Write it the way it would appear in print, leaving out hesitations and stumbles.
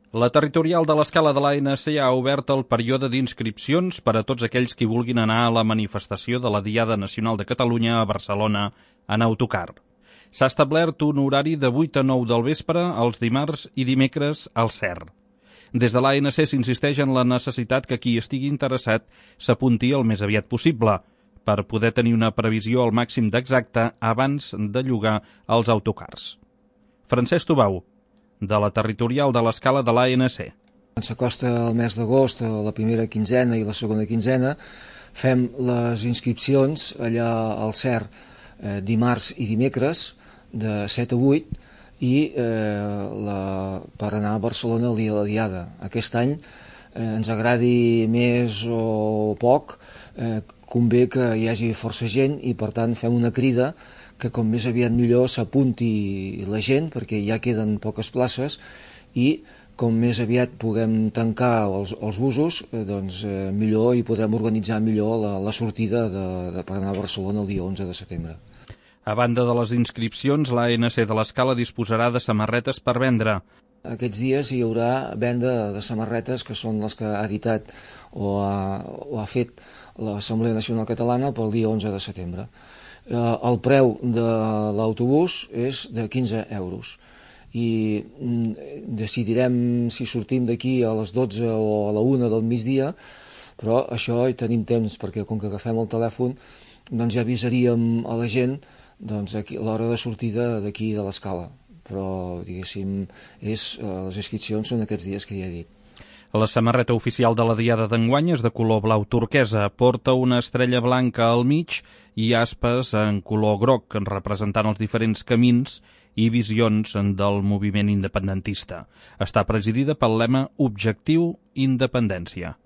La territorial de l'Escala de l'ANC ha obert el període d'inscripcions per a tots aquells qui vulguin anar a la manifestació de la Diada Nacional de Catalunya a Barcelona en autocar. S'ha establert un horari de 8 a 9 del vespre els dimarts i dimecres al CER. Des de l'ANC s'insisteix en la necessitat que qui estigui interessat s'apunti el més aviat possible per poder tenir una previsió al màxim d'exacte abans de llogar els autocars. Francesc Tubau, de la territorial de l'Escala de l'ANC. Quan s'acosta el mes d'agost, la primera quinzena i la segona quinzena, fem les inscripcions allà al CER dimarts i dimecres de 7 a 8 i per anar a Barcelona el dia de la Diada. Aquest any, ens agradi més o poc, convé que hi hagi força gent i per tant fem una crida que com més aviat millor s'apunti la gent perquè ja queden poques places i com més aviat puguem tancar els busos, doncs millor i podrem organitzar millor la sortida per anar a Barcelona el dia 11 de setembre. A banda de les inscripcions, l'ANC de l'Escala disposarà de samarretes per vendre. Aquests dies hi haurà venda de samarretes que són les que ha editat o ha fet l'Assemblea Nacional Catalana pel dia 11 de setembre. El preu de l'autobús és de 15 euros i decidirem si sortim d'aquí a les 12 o a la 1 del migdia, però això hi tenim temps perquè com que agafem el telèfon doncs ja avisaríem a la gent l'hora de sortida d'aquí de l'Escala, però diguéssim les inscripcions són aquests dies que ja he dit. La samarreta oficial de la Diada d'enguany és de color blau turquesa, porta una estrella blanca al mig i aspes en color groc, representant els diferents camins i visions del moviment independentista. Està presidida pel lema Objectiu Independència.